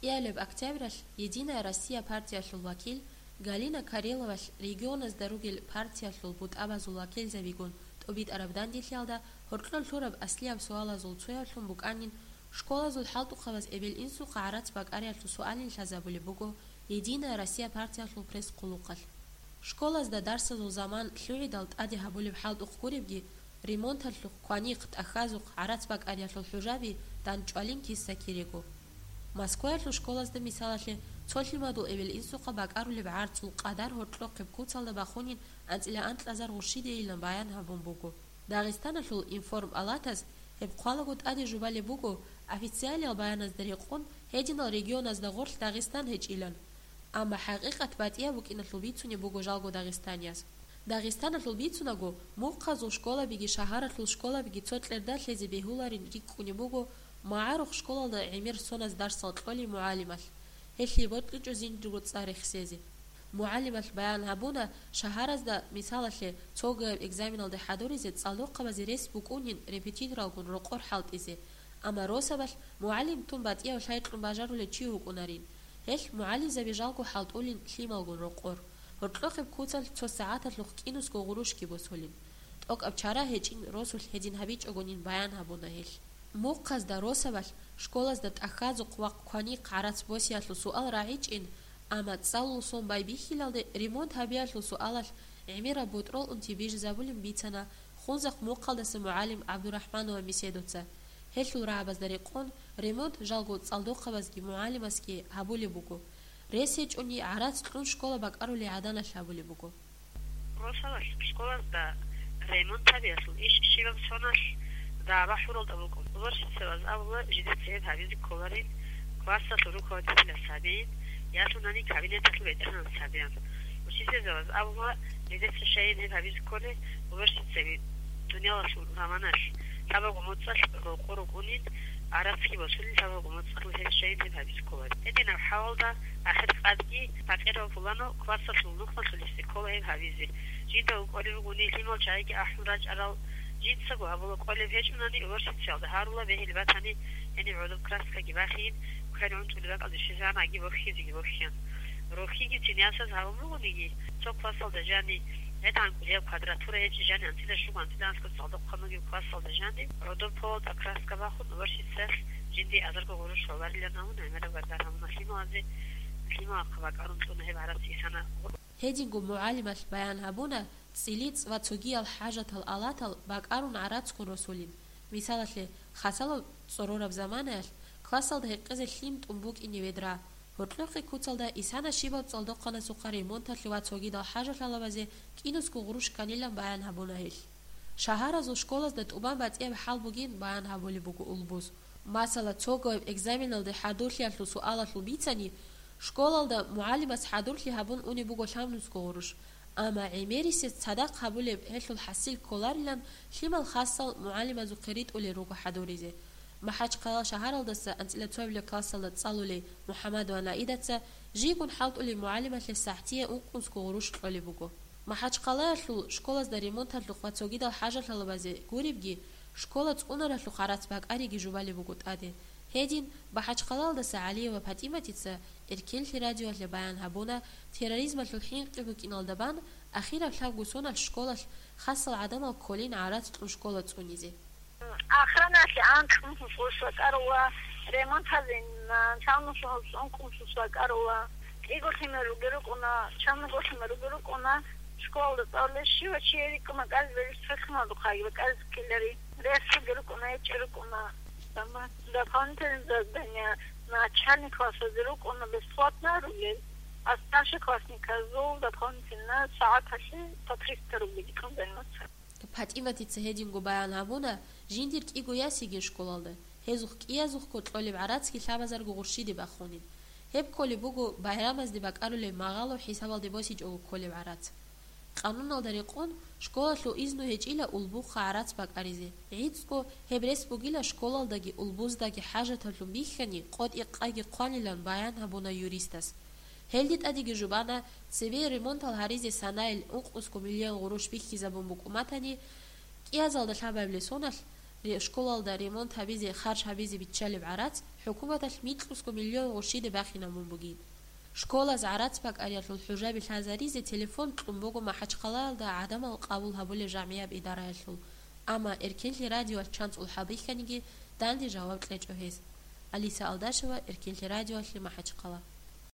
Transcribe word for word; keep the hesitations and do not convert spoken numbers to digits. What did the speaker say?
Кьиялеб октябралъ «Единая Россия» партиялъул вакил Галина Кареловалъ регионазда ругел партиялъул бутӀабазул вакилзабигун тӀубитӀараб данделъиялда гьоркьор лъураб аслияб суалазул цояблъун букӀанин, школазул хӀалтӀухъабаз эбел-инсухъа гӀарац бакӀариялъул суалин лъазабулеб буго «Единая Россия» партиялъул пресс-хъулухъалъ. Школазда дарсазул заман лъугӀидал тӀаде гьабулеб хӀалтӀухъ гуребги, ремонталъухъ, кванихъ, тӀахьазухъ гӀарац бакӀариялъул хӀужаби дандчӀвалин киса-кирего. Москваялъул школазда, мисалалъе, цо лъимадул эбел-инсухъа бакӀарулеб гӀарцул къадар гьоркьохъеб куцалда бахунин анцӀила анкьазар гъурщидейилан баян гьабун буго. Дагъистаналъул информ-палатас гьеб хъвалаго тӀаде жубалеб буго, официалиял баяназда рекъон, гьединал регионазда гъорлъ Дагъистан гьечӀилан. Амма хӀакъикъат батӀияб букӀиналъул бицунеб буго жалго дагъистанияс. Дагъистаналъул бицунаго, мухъазул школабиги шагьаралъул школабиги цо кьерда лъезе бегьуларин рикӀкӀунеб буго магӀарухъ школалда гӀемер соназ дарсал кьолей мугӀалималъ, гьелъие бокьичӀо жиндирго цӀар рехсезе. МугӀалималъ баян гьабуна, шагьаразда, мисалалъе, цогояб экзаменалде хӀадуризе цӀалдохъабазе рес букӀунин репетиторалгун рокъор хӀалтӀизе, амма росабалъ мугӀалим тун батӀияв лъай кьун бажарулев чи вукӀунарин. Гьелъ мугӀалимзаби жалго хӀалтӀулин лъималгун рокъор. Гьоркьохъеб куцалъ цо сагӀаталъухъ кӀинусго гъурущги босулин. ТӀокӀаб чара гьечӀин росулъ гьедин гьабичӀогонин баян гьабуна гьелъ. Мухъазда росабалъ школазда тӀахьазухъ ва кванихъ гӀарац босиялъул суал рагӀичӀин, амма цӀалул сон байбихьилалде ремонт гьабиялъул суалалъ гӀемераб бутӀрул унти бижизабулин бицана Хунзахъ мухъалдаса мугӀалим ГӀабдурахӀманова Меседовца. Гьелъул рагӀабазда рекъон, ремонт жалго цӀалдохъабазги мугӀалимасги гьабулеб буго. Рес гьечӀони гӀарац кьун школа бакӀарулей гӀаданалъ гьабулеб буго. Росалалъ школазда ремонт гьабиялъул иш щибаб соналъ дагӀба хӀуралда букӀун. Уборщицабаз абула, жидеца гьеб гьабизе кколарин, классалъул руководителас гьабейин, ялъунани кабинеталъул ветеранас гьабеян. Учительзабаз абула, жидеца щайин гьеб гьабизе кколей, уборщицаби дуниялалъул заманалъ лъабабго моцӀалъ рокъо рукӀунин, гӀарацги босулин лъабабго моцӀалъул гьеб щайин гьеб гьабизе кколарин. Гьединаб хӀалалда ахир къадги пакъирав пуланав классалъул нухмалъулесе ккола гьеб гьабизе. Жинда кӀолеб бугони лъимал чагӀиги ахӀун рачӀарал, жинцаго абула кӀолеб гьечӀунани, уборщицаялда гьарула, бегьилеб батани, гьениб гӀодоб краскаги бахейин, квер гӀунтӀулеб бакӀалде щвезегӀан аги бохьизеги бохьеян. Рохьигицин ясаз гьабун бугониги, цо классалда жани, гӀетӀан кӀудияб квадратура гьечӀеб жани анцӀила щуго анцӀила анлъго цӀалдохъануги классалда жани, гӀодоб полалда краска бахун, уборщицаялъ жинди азарго гъурущ гьабарилан абун, гӀемераб гаргар гьабуна лъималазе, лъималахъа бакӀарун кьуна гьеб гӀарац исана. Гьединго мугӀалималъ баян гьабуна, цӀилицӀ ва цогиял хӀажатал алатал бакӀарун гӀарацгун росулин. Мисалалъе, хасалаб цӀорораб заманаялъ классалда гьекъезе лъим тӀун букӀине ведра. Гьоркьохъе куцалда исана щибаб цӀалдохъанасухъа ремонталъе ва цогидал хӀажалъалабазе кӀинусго гъурущ кканилан баян гьабуна гьелъ. Шагьаразул школазда тӀубан батӀияб хӀал бугин баян гьабулеб буго улбуз. Масала, цогояб экзаменалде хӀадурлъиялъул суалалъул бицани, школалда мугӀалимас хӀадурлъи гьабун унеб буго лъабнусго гъурущ, амма гӀемерисез цадахъ гьабулеб гьелъул хӀасил кколарилан лъимал хасал мугӀалимазухъе ритӀулел руго хӀадуризе. МахӀачхъала шагьаралдаса анцӀила цоябилеб классалда цӀалулей МухӀамадова Наидаца жийгун хӀалтӀулей мугӀалималъе сахӀтие ункънусго гъурущ кьолеб буго. МахӀачхъалаялъул школазда ремонталъухъ ва цогидал хӀажалъалабазе гуребги, школа цӀунаралъухъ гӀарац бакӀариги жубалеб буго тӀаде. Гьедин, МахӀачхъалаялдаса ГӀалиева ПатӀиматица Эркенлъи радиоялъе баян гьабуна, терроризмалъул хӀинкъи букӀиналда бан, ахираб лъабго соналъ школалъ хасал гӀадамал кколин гӀарац кьун школа цӀунизе. Ахраналъе анкьнусус гъурущ бакӀарула, ремонт гьабин, лъабнусус ункънусус бакӀарула. КӀиго лъимер ругел рукӀуна, чамго лъимер ругел рукӀуна, школалда цӀалулел щивав чи рикӀкӀуна кӀалберис цо лъималдухъаги бакӀаризе ккелари. Рес ругел рукӀуна, гьечӀел рукӀуна. Дополнительное задание начальный классазде рукӀуна бесплатно ругел, а старшеклассниказул дополнительно сагӀаталъе по триста рубль рикӀкӀун заниматься. ПатӀиматица гьединго баян гьабуна, жиндир кӀиго яс йигин школалда, гьезухъ кӀиязухъго кьолеб гӀарацги лъабазарго гъурщиде бахунин. Гьеб кколеб буго байрамазде бакӀарулеб магъало хӀисабалде босичӀого кколеб гӀарац. Къануналда рекъон, школалъул изну гьечӀила улбухъа гӀарац бакӀаризе. ГӀицӀго гьеб рес бугила школалдаги улбуздаги хӀажаталъун бихьани, къотӀи-къаги хъванилан баян гьабуна юристас. Гьелде тӀадеги жубана, цебе ремонтал гьаризе санаил ункънусго миллион гъурущ бихьизабун букӀун батани, кӀиязалда лъабабилеб соналъ ре-, школалда ремонт гьабизе харж гьабизе биччалеб гӀарац ХӀукуматалъ микьусго миллион гъущиде бахинабун бугин. Школаз гӀарац бакӀариялъул хӀужаби лъазаризе телефон кьун буго МахӀачхъалаялда гӀадамал къабул гьабулеб жамгӀияб идараялъул, амма Эркенлъи радиоялъ чанцӀул хӀалбихьаниги, данде жаваб кьечӀо гьес. Алиса Алдашева, Эркенлъи радиоялъе, МахӀачхъала.